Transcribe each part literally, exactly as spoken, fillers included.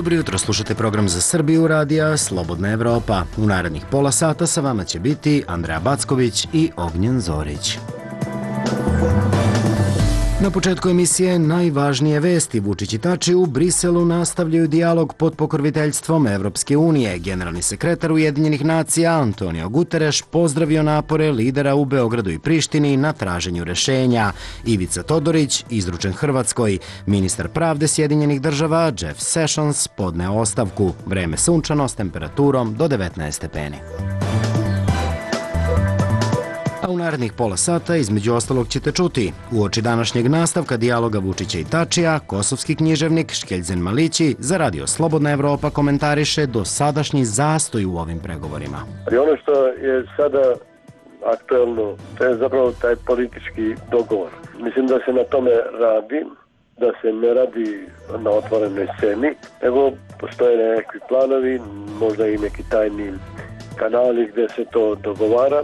Dobro jutro, slušate program za Srbiju radija Slobodna Evropa. U narednih pola sata sa vama će biti Andreja Backović i Ognjen Zorić. Na početku emisije najvažnije vesti. Vučić i Tači u Briselu nastavljaju dijalog pod pokroviteljstvom Evropske unije. Generalni sekretar Ujedinjenih nacija Antonio Guterres pozdravio napore lidera u Beogradu i Prištini na traženju rešenja. Ivica Todorić izručen Hrvatskoj. Ministar pravde Sjedinjenih država Jeff Sessions podneo ostavku. Vreme sunčano s temperaturom do devetnaest stepeni. A u narednih pola sata između ostalog ćete čuti: uoči današnjeg nastavka dijaloga Vučića i Tačija, kosovski književnik Škeljzen Malići za Radio Slobodna Evropa komentariše dosadašnji zastoj u ovim pregovorima. Ali ono što je sada aktuelno, to je zapravo taj politički dogovor. Mislim da se na tome radi, da se ne radi na otvorenoj sceni, nego postoje neki planovi, možda i neki tajni kanali gdje se to dogovara.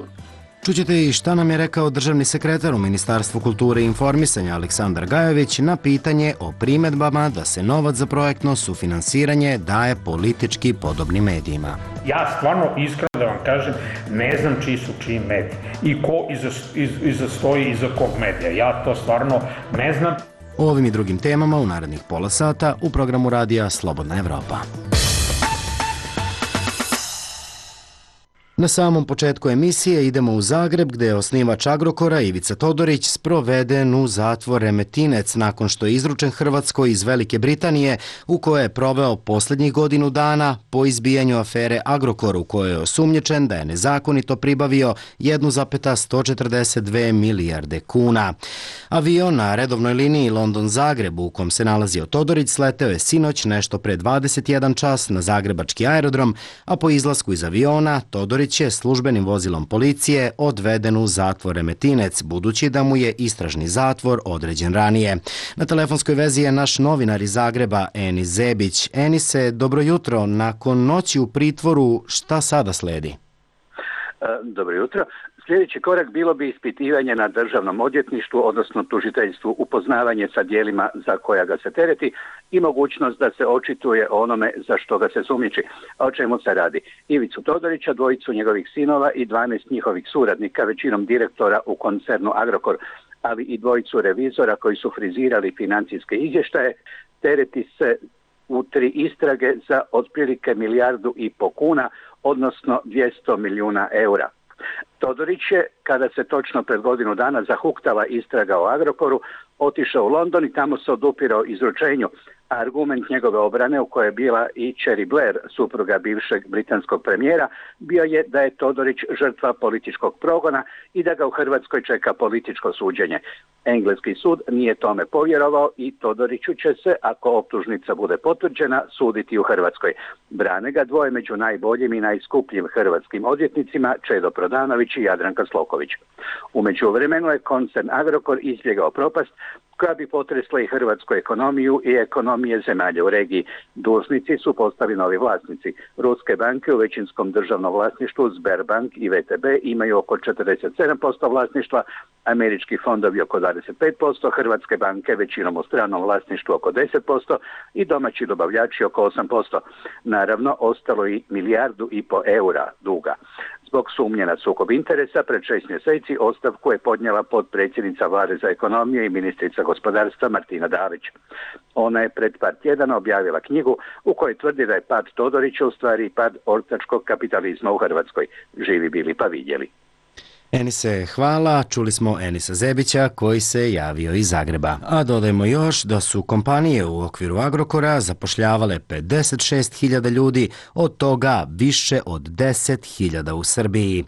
Čućete i šta nam je rekao državni sekretar u Ministarstvu kulture i informisanja Aleksandar Gajović na pitanje o primedbama da se novac za projektno sufinansiranje daje politički podobnim medijima. Ja stvarno iskreno da vam kažem, ne znam čiji su čiji mediji i ko iza, iz, iza stoji iza kog medija. Ja to stvarno ne znam. O ovim i drugim temama u narednih pola sata u programu radija Slobodna Evropa. Na samom početku emisije idemo u Zagreb, gde je osnivač Agrokora Ivica Todorić sproveden u zatvor Remetinec nakon što je izručen Hrvatskoj iz Velike Britanije, u kojoj je proveo posljednjih godinu dana po izbijanju afere Agrokor, u kojoj je osumnjičen da je nezakonito pribavio jedan zarez sto četrdeset dve milijarde kuna. Avion na redovnoj liniji London-Zagreb, u kom se nalazio Todorić, sleteo je sinoć nešto pre dvadeset jedan čas na zagrebački aerodrom, a po izlasku iz aviona Todorić je službenim vozilom policije odveden u zatvor Remetinec, budući da mu je istražni zatvor određen ranije. Na telefonskoj vezi je naš novinar iz Zagreba, Enis Zebić. Enise, dobro jutro. Nakon noći u pritvoru, šta sada sledi? Dobro jutro. Sljedeći korak bilo bi ispitivanje na državnom odvjetništvu, odnosno tužiteljstvu, upoznavanje sa dijelima za koja ga se tereti i mogućnost da se očituje o onome za što ga se sumnjiči. A o čemu se radi? Ivicu Todorića, dvojicu njegovih sinova i dvanaest njihovih suradnika, većinom direktora u koncernu Agrokor, ali i dvojicu revizora koji su frizirali financijske izvještaje, tereti se u tri istrage za otprilike milijardu i po kuna, odnosno dvjesto milijuna eura. Todorić je, kada se točno pred godinu dana zahuktala istraga o Agrokoru, otišao u London i tamo se odupirao izručenju. Argument njegove obrane, u kojoj je bila i Cherry Blair, supruga bivšeg britanskog premijera, bio je da je Todorić žrtva političkog progona i da ga u Hrvatskoj čeka političko suđenje. Engleski sud nije tome povjerovao i Todoriću će se, ako optužnica bude potvrđena, suditi u Hrvatskoj. Brane ga dvoje među najboljim i najskupljim hrvatskim odvjetnicima, Čedo Prodanović i Jadranka Sloković. U međuvremenu je koncern Agrokor izbjegao propast koja bi potresla i hrvatsku ekonomiju i ekonomije zemalja u regiji. Dužnici su postali novi vlasnici. Ruske banke u većinskom državnom vlasništvu, Sberbank i V T B, imaju oko četrdeset sedam posto vlasništva, američki fondovi oko dvadeset pet posto, hrvatske banke većinom u stranom vlasništvu oko deset posto i domaći dobavljači oko osam posto. Naravno, ostalo i milijardu i po eura duga. Zbog sumnje na sukob interesa, pred šest mjeseci ostavku je podnijela potpredsjednica Vlade za ekonomiju i ministrica gospodarstva Martina Dalić. Ona je pred par tjedana objavila knjigu u kojoj tvrdi da je pad Todorića u stvari pad ortačkog kapitalizma u Hrvatskoj. Živi bili pa vidjeli. Enise, hvala. Čuli smo Enisa Zebića koji se javio iz Zagreba. A dodajmo još da su kompanije u okviru Agrokora zapošljavale pedeset šest hiljada ljudi, od toga više od deset hiljada u Srbiji.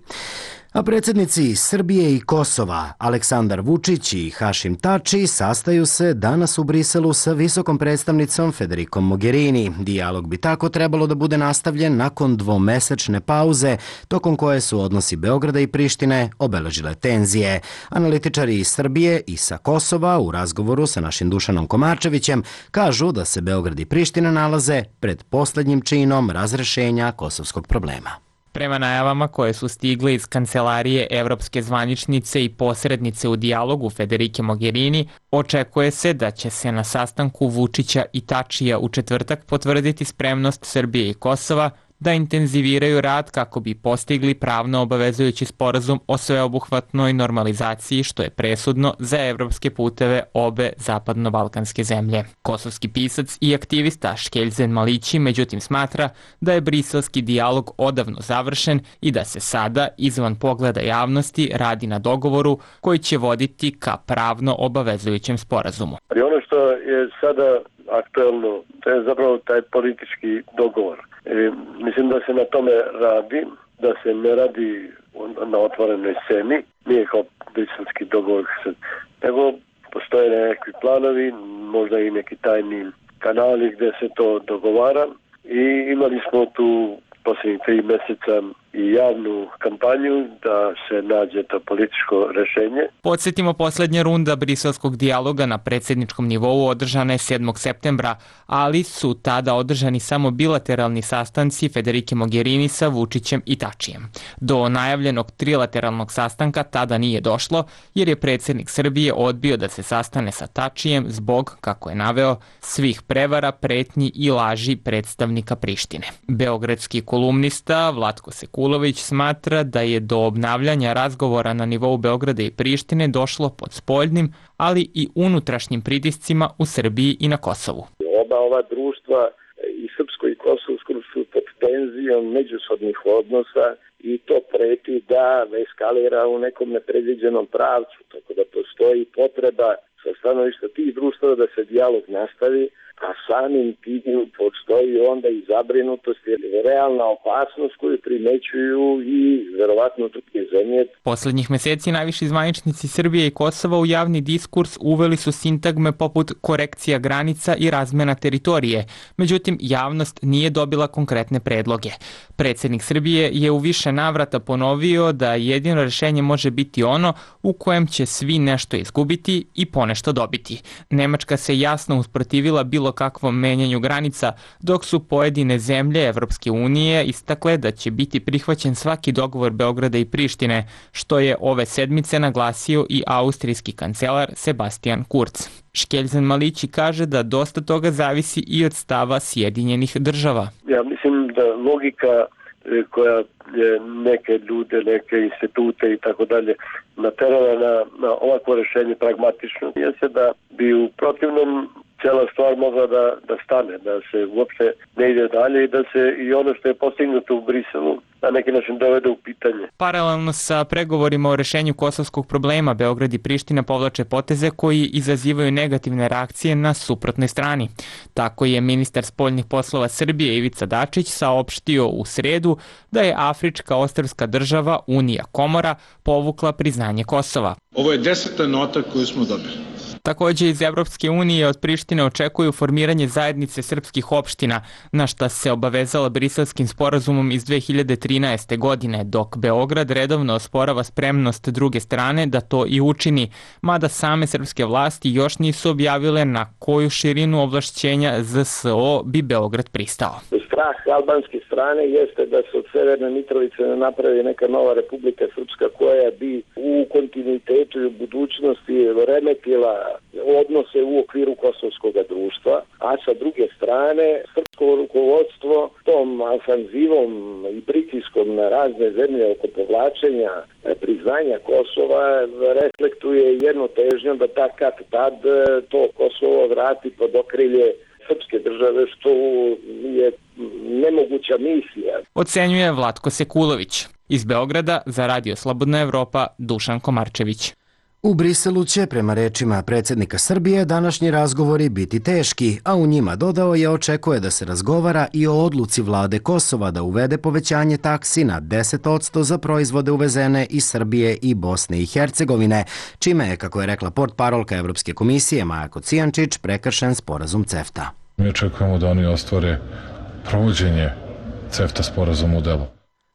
A predsjednici Srbije i Kosova, Aleksandar Vučić i Hašim Tači, sastaju se danas u Briselu sa visokom predstavnicom Federikom Mogherini. Dijalog bi tako trebalo da bude nastavljen nakon dvomesečne pauze, tokom koje su odnosi Beograda i Prištine obeležile tenzije. Analitičari iz Srbije i sa Kosova u razgovoru sa našim Dušanom Komačevićem kažu da se Beograd i Priština nalaze pred posljednjim činom razrešenja kosovskog problema. Prema najavama koje su stigle iz kancelarije evropske zvaničnice i posrednice u dijalogu Federike Mogherini, očekuje se da će se na sastanku Vučića i Tačija u četvrtak potvrditi spremnost Srbije i Kosova da intenziviraju rad kako bi postigli pravno obavezujući sporazum o sveobuhvatnoj normalizaciji, što je presudno za evropske puteve obe zapadno-balkanske zemlje. Kosovski pisac i aktivista Škeljzen Malići međutim smatra da je briselski dijalog odavno završen i da se sada, izvan pogleda javnosti, radi na dogovoru koji će voditi ka pravno obavezujućem sporazumu. Ali ono što je sada aktuelno, to je zapravo taj politički dogovor. E, mislim da se na tome radi, da se ne radi na otvorenoj sceni, nije kao briselski dogovor, nego postoje nekakvi planovi, možda i neki tajni kanali gdje se to dogovara i imali smo tu posljednjih tri mjeseca i javnu kampanju da se nađe to političko rješenje. Podsjetimo, posljednja runda briselskog dijaloga na predsjedničkom nivou održana je sedmog septembra, ali su tada održani samo bilateralni sastanci Federike Mogherini sa Vučićem i Tačijem. Do najavljenog trilateralnog sastanka tada nije došlo, jer je predsjednik Srbije odbio da se sastane sa Tačijem zbog, kako je naveo, svih prevara, pretnji i laži predstavnika Prištine. Beogradski kolumnista Vlatko Sekulović smatra da je do obnavljanja razgovora na nivou Beograda i Prištine došlo pod spoljnim, ali i unutrašnjim pritiscima u Srbiji i na Kosovu. Oba ova društva, i srpsko i kosovsko, su pod tenzijom međusobnih odnosa i to preti da eskalira u nekom nepredviđenom pravcu, tako da postoji potreba sa stanovišta tih društava da se dijalog nastavi, a samim tim postoji onda i zabrinutost, jer je realna opasnost koju primećuju i verovatno druge zemlje. Poslednjih meseci najviši zvaničnici Srbije i Kosova u javni diskurs uveli su sintagme poput korekcija granica i razmena teritorije, međutim javnost nije dobila konkretne predloge. Predsjednik Srbije je u više navrata ponovio da jedino rješenje može biti ono u kojem će svi nešto izgubiti i ponešto dobiti. Nemačka se jasno usprotivila bilo kakvom menjanju granica, dok su pojedine zemlje Evropske unije istakle da će biti prihvaćen svaki dogovor Beograda i Prištine, što je ove sedmice naglasio i austrijski kancelar Sebastian Kurz. Škeljzen Malići kaže da dosta toga zavisi i od stava Sjedinjenih država. Ja mislim da logika koja je neke ljude, neke institute i tako dalje naterala na, na ovakvo rješenje pragmatično, je se da bi u protivnom cijela stvar mogla da, da stane, da se uopšte ne ide dalje i da se i ono što je postignuto u Briselu na neki način dovede u pitanje. Paralelno sa pregovorima o rešenju kosovskog problema, Beograd i Priština povlače poteze koji izazivaju negativne reakcije na suprotnoj strani. Tako je ministar spoljnih poslova Srbije Ivica Dačić saopštio u sredu da je afrička ostrvska država Unija Komora povukla priznanje Kosova. Ovo je deseta nota koju smo dobili. Također iz Evropske unije od Prištine očekuju formiranje zajednice srpskih opština, na šta se obavezala Briselskim sporazumom iz dve hiljade trinaeste. godine, dok Beograd redovno osporava spremnost druge strane da to i učini, mada same srpske vlasti još nisu objavile na koju širinu ovlašćenja Z S O bi Beograd pristao. Strah albanske strane jeste da se od Severne Mitrovice ne napravi neka nova Republika Srpska koja bi u kontinuitetu i u budućnosti remetila odnose u okviru kosovskog društva, a sa druge strane srpsko rukovodstvo tom ofanzivom i pritiskom na razne zemlje oko povlačenja priznanja Kosova reflektuje jednu težnju da ta kad tad to Kosovo vrati pod okrilje srpske države, što je nemoguća misija. Ocenjuje Vlatko Sekulović. Iz Beograda za Radio Slobodna Evropa Dušan Komarčević. U Briselu će, prema rečima predsjednika Srbije, današnji razgovori biti teški, a u njima, dodao je, očekuje da se razgovara i o odluci vlade Kosova da uvede povećanje taksi na deset posto za proizvode uvezene iz Srbije i Bosne i Hercegovine, čime je, kako je rekla portparolka Evropske komisije Maja Kocijančić, prekršen sporazum CEFTA. Mi očekujemo da oni ostvare provođenje CEFTA sporazuma u delu.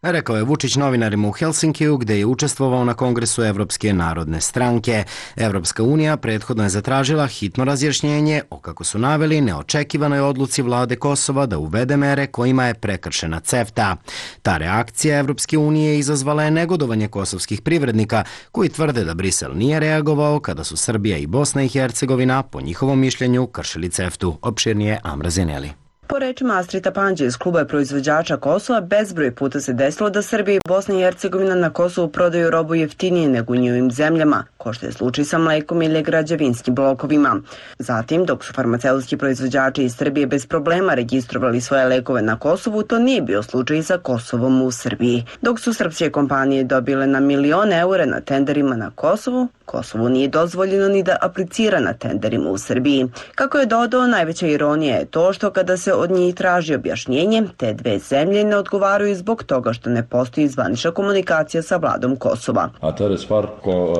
Rekao je Vučić novinarima u Helsinkiju gde je učestvovao na Kongresu Evropske narodne stranke. Evropska unija prethodno je zatražila hitno razjašnjenje o, kako su naveli, neočekivanoj odluci vlade Kosova da uvede mere kojima je prekršena CEFTA. Ta reakcija Evropske unije izazvala je negodovanje kosovskih privrednika koji tvrde da Brisel nije reagovao kada su Srbija i Bosna i Hercegovina po njihovom mišljenju kršili CEFTU. Opširnije Amra Zineli. Po rečima Astrita Panđe iz kluba proizvođača Kosova, bezbroj puta se desilo da Srbija i Bosna i Hercegovina na Kosovu prodaju robu jeftinije nego u njihovim zemljama, ko što je slučaj sa mlekom ili građevinskim blokovima. Zatim, dok su farmaceutski proizvođači iz Srbije bez problema registrovali svoje lekove na Kosovu, to nije bio slučaj sa Kosovom u Srbiji. Dok su srpske kompanije dobile na milione eura na tenderima na Kosovu, Kosovu nije dozvoljeno ni da aplicira na tenderima u Srbiji. Kako je dodao, najveća ironija je to što kada se od njih traži objašnjenje, te dve zemlje ne odgovaraju zbog toga što ne postoji zvanična komunikacija sa vladom Kosova. A to je stvar ko...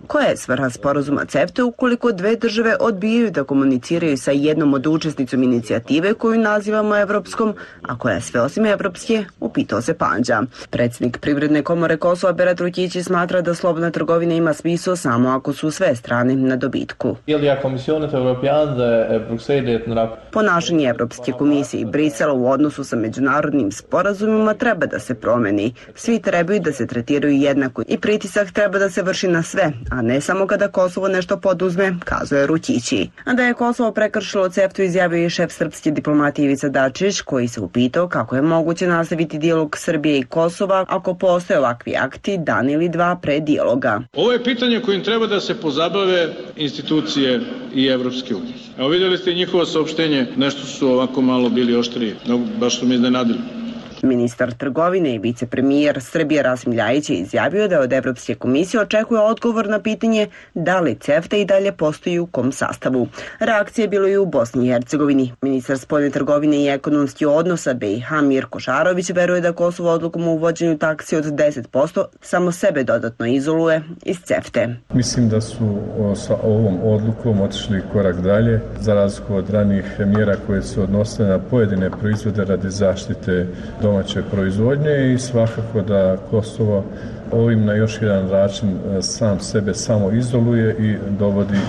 Koja je svrha sporazuma CEFTA ukoliko dve države odbijaju da komuniciraju sa jednom od učesnicom inicijative koju nazivamo evropskom, a koja je sve osim evropske, upitao se Panđa. Predsjednik Privredne komore Kosova Berat Rukići smatra da slobodna trgovina ima smisao samo ako su sve strane na dobitku. Ponašanje Evropske komisije i Brisela u odnosu sa međunarodnim sporazumima treba da se promeni. Svi trebaju da se tretiraju jednako i pritisak treba da se vrši na sve, a ne samo kada Kosovo nešto poduzme, kazuje Rukići. A da je Kosovo prekršilo CEFTU izjavio i šef srpske diplomatije Ivica Dačić, koji se upitao kako je moguće nastaviti dijalog Srbije i Kosova ako postoje ovakvi akti dan ili dva pre dijaloga. Ovo je pitanje kojim treba da se pozabave institucije i Evropske unije. Evo vidjeli ste njihovo saopštenje, nešto su ovako malo bili oštriji, no, baš su mi iznenadili. Ministar trgovine i vicepremijer Srbije Rasim Ljajić je izjavio da od Evropske komisije očekuje odgovor na pitanje da li CEFTA i dalje postoji u kom sastavu. Reakcija je bilo i u Bosni i Hercegovini. Ministar spoljne trgovine i ekonomskih odnosa B i H Mirko Šarović veruje da Kosovo odlukom o uvođenju taksi od deset posto samo sebe dodatno izoluje iz CEFTE. Mislim da su sa ovom odlukom otišli korak dalje, za razliku od ranijih mjera koje se odnose na pojedine proizvode radi zaštite domaće proizvodnje i svakako da Kosovo ovim na još jedan način sam sebe samo izoluje i dovodi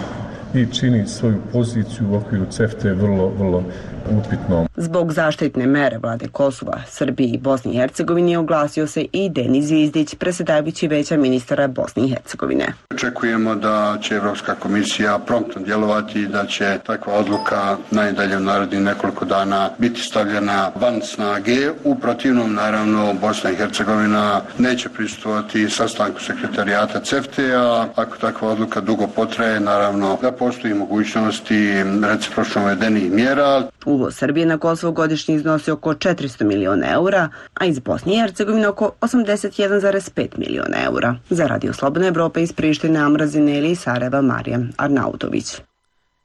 i čini svoju poziciju u okviru CEFTE vrlo, vrlo upitnom. Zbog zaštitne mere vlade Kosova, Srbije i Bosne i Hercegovine oglasio se i Denis Zvizdić, predsjedavajući Veća ministara Bosne i Hercegovine. Očekujemo da će Evropska komisija promptno djelovati i da će takva odluka najdalje u narednih nekoliko dana biti stavljena van snage. U protivnom, naravno, Bosna i Hercegovina neće prisustvovati sastanku sekretarijata CEFTE, a ako takva odluka dugo potraje, naravno da postoji mogućnosti recipročno uvedenih mjera. Uvoz Srbije na Kosovo godišnje iznosi oko četiristo miliona eura, a iz Bosne i Hercegovine oko osamdeset jedan zarez pet miliona eura. Za Radio Slobodna Evropa iz Prištine, Amra Zineli i Sarajeva, Marija Arnautović.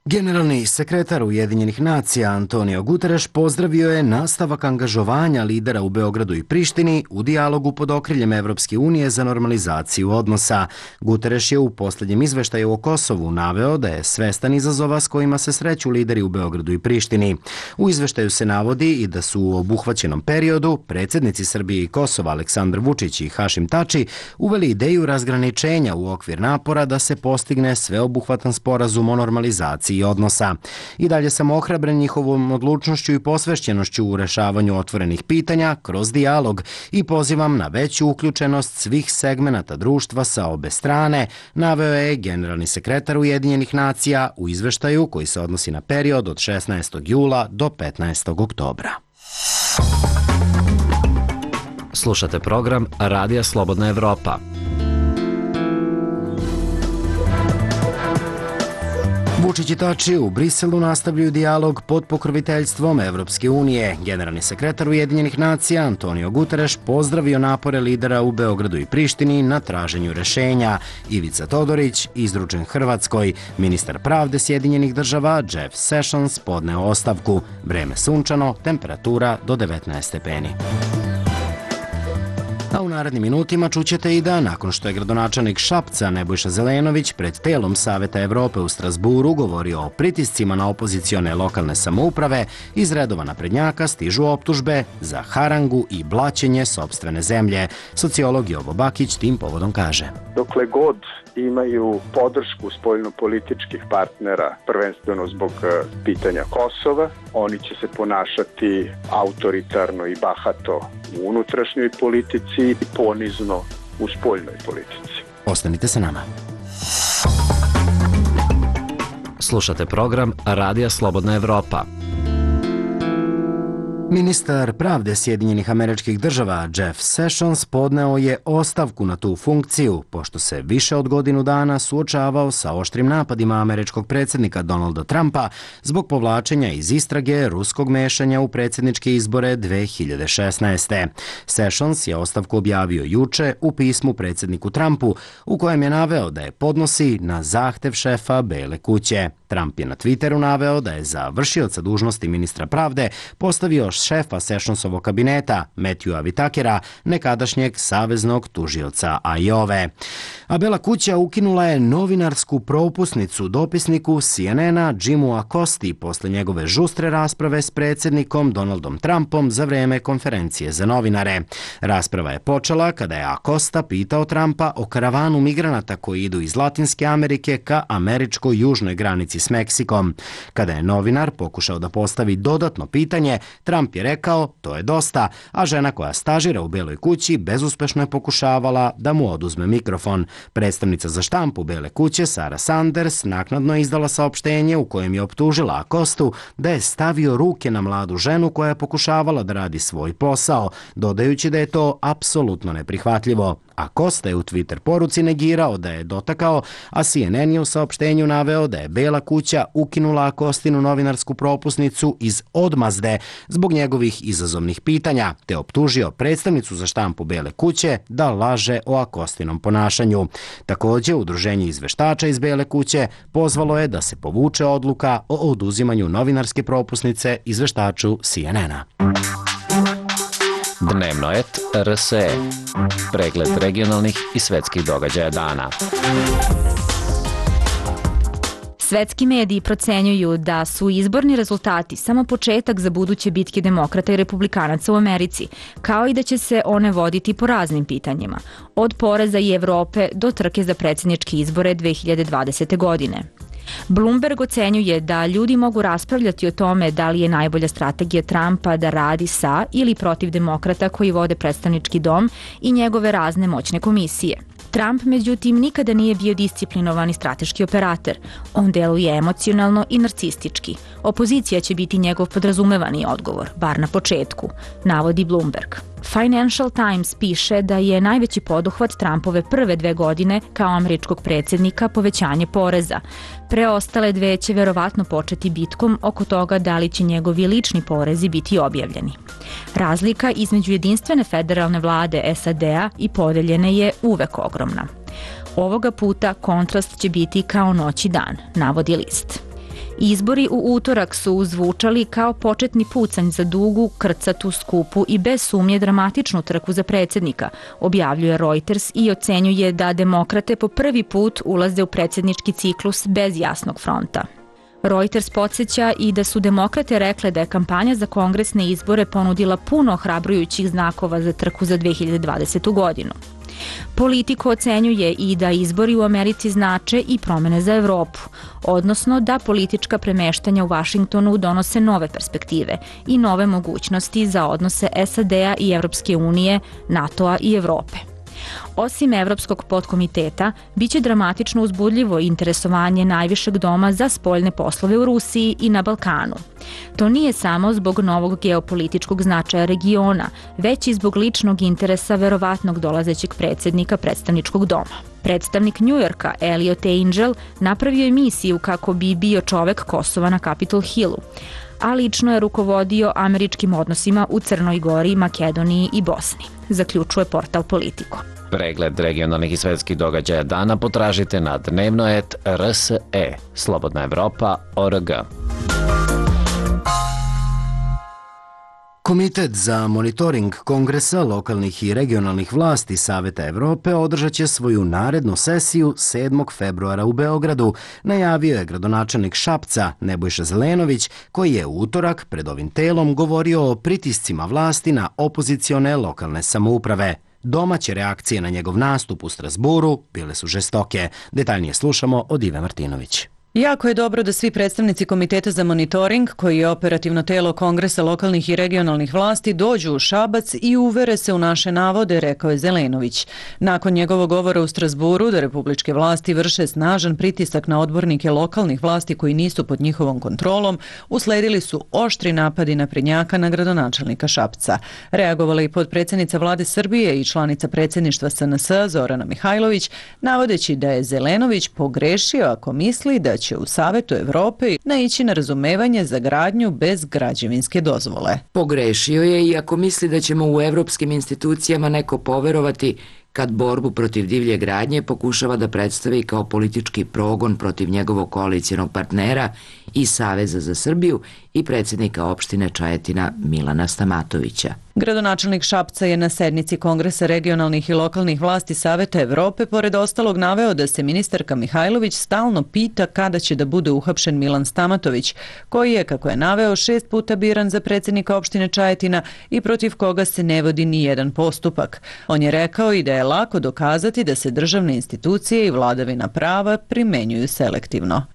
Generalni sekretar Ujedinjenih nacija Antonio Guterres pozdravio je nastavak angažovanja lidera u Beogradu i Prištini u dijalogu pod okriljem Evropske unije za normalizaciju odnosa. Guterres je u posljednjem izveštaju o Kosovu naveo da je svestan izazova s kojima se sreću lideri u Beogradu i Prištini. U izveštaju se navodi i da su u obuhvaćenom periodu predsjednici Srbije i Kosova Aleksandar Vučić i Hašim Tači uveli ideju razgraničenja u okvir napora da se postigne sveobuhvatan sporazum o normalizaciji odnosa. I dalje sam ohrabren njihovom odlučnošću i posvešćenošću u rešavanju otvorenih pitanja kroz dijalog i pozivam na veću uključenost svih segmenata društva sa obe strane, naveo je generalni sekretar Ujedinjenih nacija u izveštaju koji se odnosi na period od šesnaestog jula do petnaestog oktobra. Slušate program Radija Slobodna Evropa. Vučić i Tači u Briselu nastavljaju dijalog pod pokroviteljstvom Evropske unije. Generalni sekretar Ujedinjenih nacija Antonio Guterres pozdravio napore lidera u Beogradu i Prištini na traženju rešenja. Ivica Todorić izručen Hrvatskoj. Ministar pravde Sjedinjenih država Jeff Sessions podneo ostavku. Vreme sunčano, temperatura do devetnaest stepeni. A u narednim minutima čućete i da, nakon što je gradonačelnik Šapca Nebojša Zelenović pred telom Saveta Evrope u Strasburu govorio o pritiscima na opozicione lokalne samouprave, iz redova naprednjaka stižu optužbe za harangu i blaćenje sopstvene zemlje. Sociolog Jovo Bakić tim povodom kaže: Dokle god imaju podršku spoljnopolitičkih partnera, prvenstveno zbog pitanja Kosova, oni će se ponašati autoritarno i bahato u unutrašnjoj politici i ponizno u spoljnoj politici. Ostanite sa nama. Slušate program Radija Slobodna Evropa. Ministar pravde Sjedinjenih Američkih Država Jeff Sessions podneo je ostavku na tu funkciju, pošto se više od godinu dana suočavao sa oštrim napadima američkog predsjednika Donalda Trumpa zbog povlačenja iz istrage ruskog mešanja u predsjedničke izbore dve hiljade šesnaeste. Sessions je ostavku objavio juče u pismu predsjedniku Trumpu, u kojem je naveo da je podnosi na zahtev šefa Bele kuće. Trump je na Twitteru naveo da je za vršioca dužnosti ministra pravde postavio šefa Sessionsovog kabineta, Matthewa Whitakera, nekadašnjeg saveznog tužioca Ajove. A Bela kuća ukinula je novinarsku propusnicu dopisniku C N N-a Jimu Acosti posle njegove žustre rasprave s predsjednikom Donaldom Trumpom za vreme konferencije za novinare. Rasprava je počela kada je Acosta pitao Trumpa o karavanu migranata koji idu iz Latinske Amerike ka američkoj južnoj granici s Meksikom. Kada je novinar pokušao da postavi dodatno pitanje, Trump je rekao to je dosta, a žena koja stažira u Beloj kući bezuspešno je pokušavala da mu oduzme mikrofon. Predstavnica za štampu Bele kuće Sarah Sanders naknadno je izdala saopštenje u kojem je optužila Acostu da je stavio ruke na mladu ženu koja je pokušavala da radi svoj posao, dodajući da je to apsolutno neprihvatljivo. Acosta je u Twitter poruci negirao da je dotakao, a C N N je u saopštenju naveo da je Bela kuća ukinula Acostinu novinarsku propusnicu iz odmazde zbog njegovih izazovnih pitanja, te optužio predstavnicu za štampu Bele kuće da laže o Acostinom ponašanju. Također, udruženje izveštača iz Bele kuće pozvalo je da se povuče odluka o oduzimanju novinarske propusnice izveštaču C N N-a. Dnevno et R S E. Pregled regionalnih i svetskih događaja dana. Svetski mediji procenjuju da su izborni rezultati samo početak za buduće bitke demokrata i republikanaca u Americi, kao i da će se one voditi po raznim pitanjima, od poreza i Evrope do trke za predsjedničke izbore dve hiljade dvadesete. godine. Bloomberg ocenjuje da ljudi mogu raspravljati o tome da li je najbolja strategija Trumpa da radi sa ili protiv demokrata koji vode predstavnički dom i njegove razne moćne komisije. Trump, međutim, nikada nije bio disciplinovani strateški operator. On deluje emocionalno i narcistički. Opozicija će biti njegov podrazumevani odgovor, bar na početku, navodi Bloomberg. Financial Times piše da je najveći poduhvat Trumpove prve dve godine kao američkog predsjednika povećanje poreza. Preostale dve će verovatno početi bitkom oko toga da li će njegovi lični porezi biti objavljeni. Razlika između jedinstvene federalne vlade S A D-a i podeljene je uvek ogromna. Ovoga puta kontrast će biti kao noć i dan, navodi list. Izbori u utorak su zvučali kao početni pucanj za dugu, krcatu, skupu i bez sumnje dramatičnu trku za predsjednika, objavljuje Reuters i ocenjuje da demokrate po prvi put ulaze u predsjednički ciklus bez jasnog fronta. Reuters podsjeća i da su demokrate rekle da je kampanja za kongresne izbore ponudila puno ohrabrujućih znakova za trku za dve hiljade dvadesetu. godinu. Politiko ocenjuje i da izbori u Americi znače i promene za Evropu, odnosno da politička premeštanja u Vašingtonu donose nove perspektive i nove mogućnosti za odnose S A D-a i Evropske unije, NATO-a i Evrope. Osim Evropskog podkomiteta, biće dramatično uzbudljivo interesovanje najvišeg doma za spoljne poslove u Rusiji i na Balkanu. To nije samo zbog novog geopolitičkog značaja regiona, već i zbog ličnog interesa verovatnog dolazećeg predsjednika predstavničkog doma. Predstavnik Njujorka, Elliot Angel, napravio je misiju kako bi bio čovek Kosova na Capitol Hillu, a lično je rukovodio američkim odnosima u Crnoj Gori, Makedoniji i Bosni, zaključuje portal Politico. Pregled regionalnih i svetskih događaja dana potražite na dnevno et R S E, Slobodna Evropa, O R G. Komitet za monitoring Kongresa lokalnih i regionalnih vlasti Saveta Evrope održat će svoju narednu sesiju sedmog februara u Beogradu, najavio je gradonačelnik Šapca Nebojša Zelenović, koji je u utorak pred ovim telom govorio o pritiscima vlasti na opozicione lokalne samouprave. Domaće reakcije na njegov nastup u Strasburu bile su žestoke. Detaljnije slušamo od Ive Martinović. Jako je dobro da svi predstavnici Komiteta za monitoring, koji je operativno telo Kongresa lokalnih i regionalnih vlasti, dođu u Šabac i uvere se u naše navode, rekao je Zelenović. Nakon njegovog govora u Strasburu da republičke vlasti vrše snažan pritisak na odbornike lokalnih vlasti koji nisu pod njihovom kontrolom, usledili su oštri napadi naprednjaka na gradonačelnika Šapca. Reagovala i potpredsjednica vlade Srbije i članica predsjedništva S N S Zorana Mihajlović, navodeći da je Zelenović pogrešio ako misli da će u Savetu Evrope naići na razumevanje za gradnju bez građevinske dozvole. Pogrešio je i ako misli da ćemo u evropskim institucijama neko poverovati kad borbu protiv divlje gradnje pokušava da predstavi kao politički progon protiv njegovog koalicijonog partnera i Saveza za Srbiju i predsjednika opštine Čajetina Milana Stamatovića. Gradonačelnik Šapca je na sednici Kongresa regionalnih i lokalnih vlasti Saveta Evrope pored ostalog naveo da se ministarka Mihajlović stalno pita kada će da bude uhapšen Milan Stamatović, koji je, kako je naveo, šest puta biran za predsjednika opštine Čajetina i protiv koga se ne vodi ni jedan postupak. On je rekao i da je lako dokazati da se državne institucije i vladavina prava primenjuju selektivno.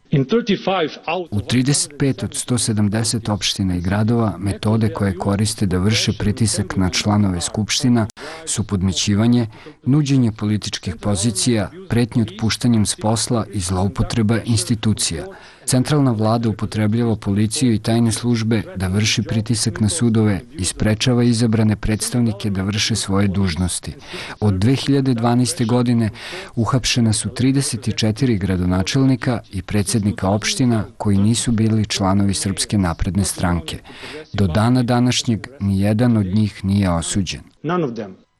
U trideset pet od sto sedamdeset opština i gradova metode koje koriste da vrše pritisak na članove skupština su podmićivanje, nuđenje političkih pozicija, pretnje otpuštanjem s posla i zloupotreba institucija. Centralna vlada upotrebljava policiju i tajne službe da vrši pritisak na sudove i sprečava izabrane predstavnike da vrše svoje dužnosti. Od dve hiljade dvanaeste. godine uhapšena su trideset četiri gradonačelnika i predsjednika opština koji nisu bili članovi Srpske napredne stranke. Do dana današnjeg nijedan od njih nije osuđen.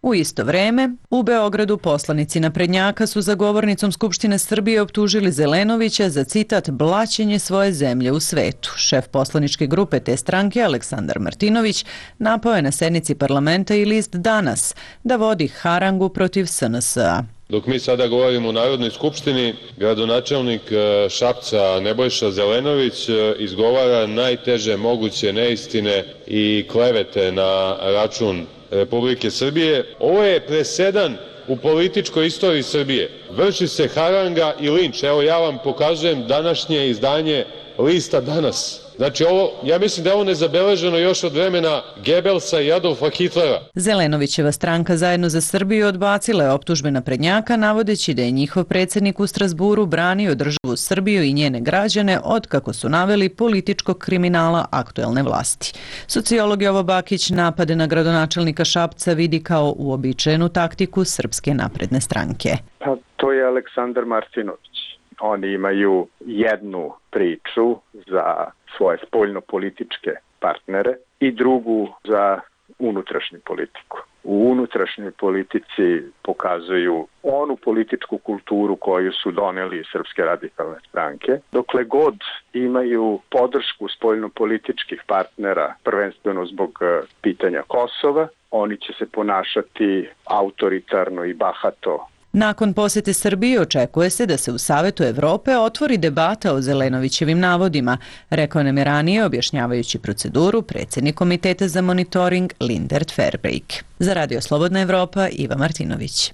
U isto vreme, u Beogradu poslanici naprednjaka su za govornicom Skupštine Srbije optužili Zelenovića za, citat, blaćenje svoje zemlje u svetu. Šef poslaničke grupe te stranke, Aleksandar Martinović, napao je na sednici parlamenta i list Danas da vodi harangu protiv S N S-a. Dok mi sada govorimo u Narodnoj skupštini, gradonačelnik Šapca Nebojša Zelenović izgovara najteže moguće neistine i klevete na račun Republike Srbije. Ovo je presedan u političkoj istoriji Srbije. Vrši se haranga i linč. Evo ja vam pokazujem današnje izdanje lista Danas. Znači, ovo, ja mislim da je ovo nezabeleženo još od vremena Gebelsa i Adolfa Hitlera. Zelenovićeva stranka Zajedno za Srbiju odbacila je optužbe naprednjaka, navodeći da je njihov predsjednik u Strasburu branio državu Srbiju i njene građane od, kako su naveli, političkog kriminala aktuelne vlasti. Sociolog Jovo Bakić napade na gradonačelnika Šapca vidi kao uobičajenu taktiku Srpske napredne stranke. Pa to je Aleksandar Martinović. Oni imaju jednu priču za svoje spoljno-političke partnere i drugu za unutrašnju politiku. U unutrašnjoj politici pokazuju onu političku kulturu koju su doneli iz Srpske radikalne stranke. Dokle god imaju podršku spoljno-političkih partnera, prvenstveno zbog pitanja Kosova, oni će se ponašati autoritarno i bahato. Nakon posjete Srbije očekuje se da se u Savetu Evrope otvori debata o Zelenovićevim navodima, rekao nam je ranije objašnjavajući proceduru predsjednik Komiteta za monitoring Lindert Verbeek. Za Radio Slobodna Evropa, Iva Martinović.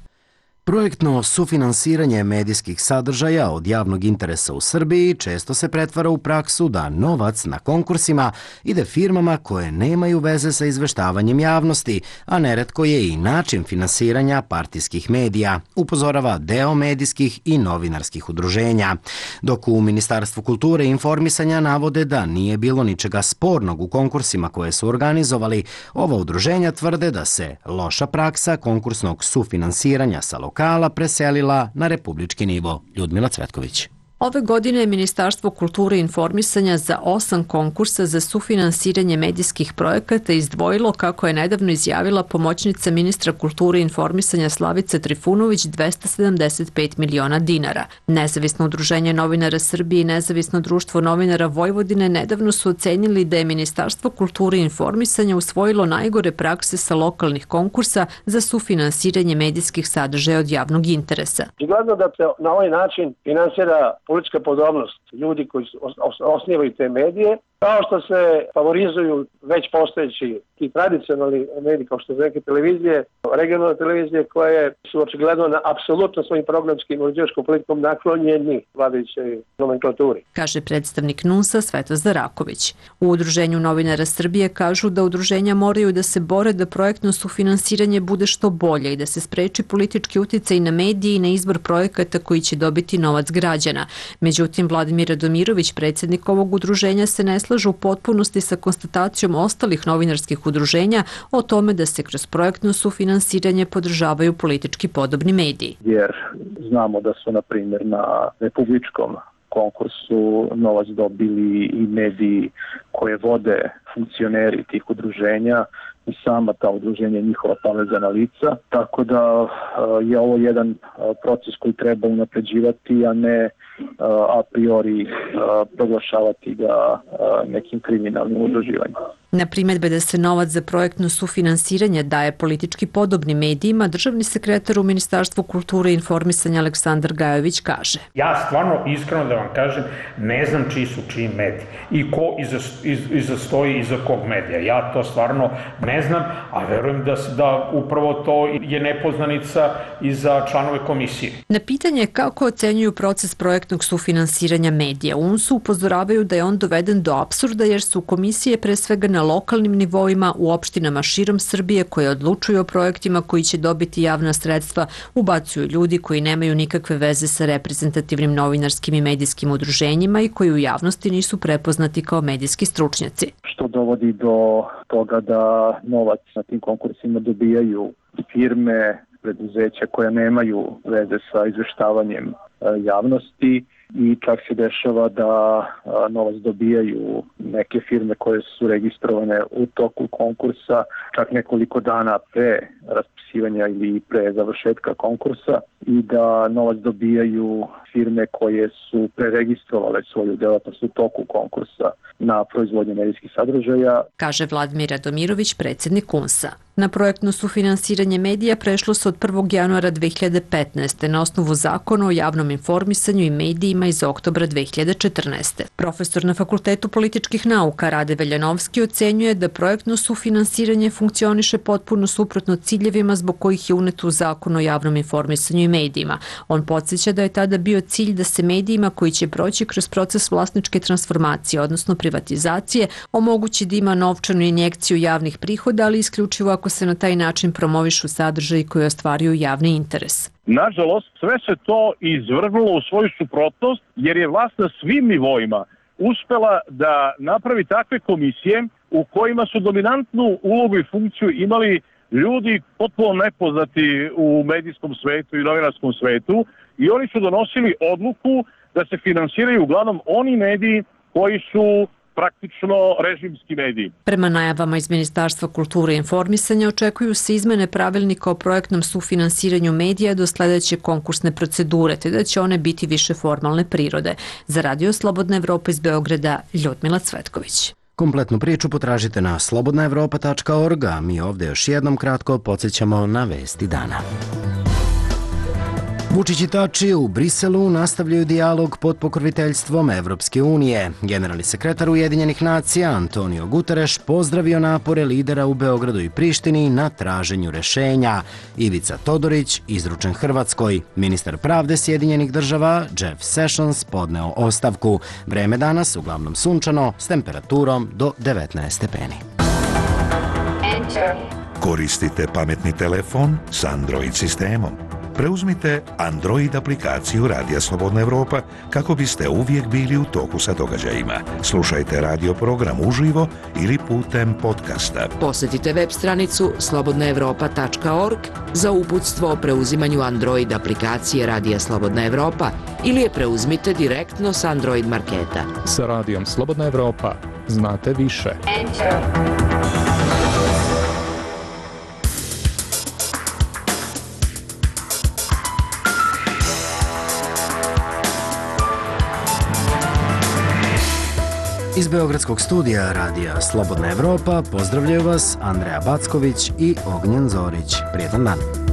Projektno sufinansiranje medijskih sadržaja od javnog interesa u Srbiji često se pretvara u praksu da novac na konkursima ide firmama koje nemaju veze sa izveštavanjem javnosti, a neretko je i način finansiranja partijskih medija, upozorava deo medijskih i novinarskih udruženja. Dok u Ministarstvu kulture i informisanja navode da nije bilo ničega spornog u konkursima koje su organizovali, ova udruženja tvrde da se loša praksa konkursnog sufinansiranja sa lokala preselila na republički nivo. Ljudmila Cvetković. Ove godine je Ministarstvo kulture i informisanja za osam konkursa za sufinansiranje medijskih projekata izdvojilo, kako je nedavno izjavila pomoćnica ministra kulture i informisanja Slavica Trifunović, dvesta sedamdeset pet miliona dinara. Nezavisno udruženje novinara Srbije i Nezavisno društvo novinara Vojvodine nedavno su ocenili da je Ministarstvo kulture i informisanja usvojilo najgore prakse sa lokalnih konkursa za sufinansiranje medijskih sadržaja od javnog interesa. Gledano da se na ovaj način finansira politička podobnost ljudi koji osnivaju te medije, kao što se favorizuju već postojeći i tradicionalni mediji kao što su neke televizije, regionalne televizije koje su očigledno na apsolutno svojim programskim i uređivačkom politikom naklonjeni vladajućoj nomenklaturi. Kaže predstavnik N U S-a Svetozar Raković. U Udruženju novinara Srbije kažu da udruženja moraju da se bore da projektno sufinansiranje bude što bolje i da se spreči politički uticaj na medije i na izbor projekata koji će dobiti novac građana. Međutim, Vladimir Radomirović, predsednik ovog udruženja, se ne slažu u potpunosti sa konstatacijom ostalih novinarskih udruženja o tome da se kroz projektno sufinansiranje podržavaju politički podobni mediji. Jer znamo da su, na primjer, na republičkom konkursu novac dobili i mediji koje vode funkcioneri tih udruženja i sama ta udruženja njihova povezana lica, tako da je ovo jedan proces koji treba unapređivati, a ne a priori proglašavati ga nekim kriminalnim udruživanjem. Na primjedbe da se novac za projektno sufinansiranje daje politički podobnim medijima, državni sekretar u Ministarstvu kulture i informisanja Aleksandar Gajović kaže: Ja stvarno, iskreno da vam kažem, ne znam čiji su čiji mediji i ko iza, iz, iza stoji iza kog medija. Ja to stvarno ne znam, a verujem da, da upravo to je nepoznanica i za članove komisije. Na pitanje kako ocenjuju proces projektnog sufinansiranja medija, U N S upozoravaju da je on doveden do apsurda jer su komisije pre svega na lokalnim nivoima u opštinama širom Srbije koje odlučuju o projektima koji će dobiti javna sredstva, ubacuju ljudi koji nemaju nikakve veze sa reprezentativnim novinarskim i medijskim udruženjima i koji u javnosti nisu prepoznati kao medijski stručnjaci. Što dovodi do toga da novac na tim konkursima dobijaju firme, preduzeća koja nemaju veze sa izveštavanjem javnosti i čak se dešava da novac dobijaju neke firme koje su registrovane u toku konkursa čak nekoliko dana pre raspisivanja ili pre završetka konkursa i da novac dobijaju firme koje su preregistrovale svoju delatnost u toku konkursa na proizvodnju medijskih sadržaja. Kaže Vladimir Radomirović, predsednik U N S-a. Na projektno sufinansiranje medija prešlo se od prvog januara dve hiljade petnaeste. na osnovu zakona o javnom informisanju i medijima iz oktobra dve hiljade četrnaeste. Profesor na Fakultetu političkih nauka Rade Veljanovski ocenjuje da projektno sufinansiranje funkcioniše potpuno suprotno ciljevima zbog kojih je uneto u zakon o javnom informisanju i medijima. On podsjeća da je tada bio cilj da se medijima koji će proći kroz proces vlasničke transformacije, odnosno privatizacije, omogući da ima novčanu injekciju javnih prihoda, ali isključivo ako se na taj način promovišu sadržaji koji ostvaruju javni interes. Nažalost, sve se to izvrgnulo u svoju suprotnost jer je vlast na svim nivoima uspela da napravi takve komisije u kojima su dominantnu ulogu i funkciju imali ljudi potpuno nepoznati u medijskom svetu i novinarskom svetu i oni su donosili odluku da se finansiraju uglavnom oni mediji koji su praktično režimski mediji. Prema najavama iz Ministarstva kulture i informisanja očekuju se izmene pravilnika o projektnom sufinansiranju medija do sledeće konkursne procedure, te da će one biti više formalne prirode. Za Radio Slobodna Evropa iz Beograda, Ljudmila Cvetković. Kompletnu priču potražite na slobodna evropa tačka org, a mi ovde još jednom kratko podsjećamo na vesti dana. Vučić i Tači u Briselu nastavljaju dijalog pod pokroviteljstvom Evropske unije. Generalni sekretar Ujedinjenih nacija Antonio Guterres pozdravio napore lidera u Beogradu i Prištini na traženju rešenja. Ivica Todorić izručen Hrvatskoj. Ministar pravde Sjedinjenih država Jeff Sessions podneo ostavku. Vreme danas uglavnom sunčano s temperaturom do devetnaest stepeni. Koristite pametni telefon s Android sistemom. Preuzmite Android aplikaciju Radija Slobodna Evropa kako biste uvijek bili u toku sa događajima. Slušajte radio program uživo ili putem podcasta. Posjetite web stranicu slobodna evropa tačka org za uputstvo o preuzimanju Android aplikacije Radija Slobodna Evropa ili je preuzmite direktno s Android marketa. Sa Radijom Slobodna Evropa znate više. Enter. Iz Beogradskog studija Radija Slobodna Evropa pozdravljaju vas Andreja Backović i Ognjen Zorić. Prijetan dan!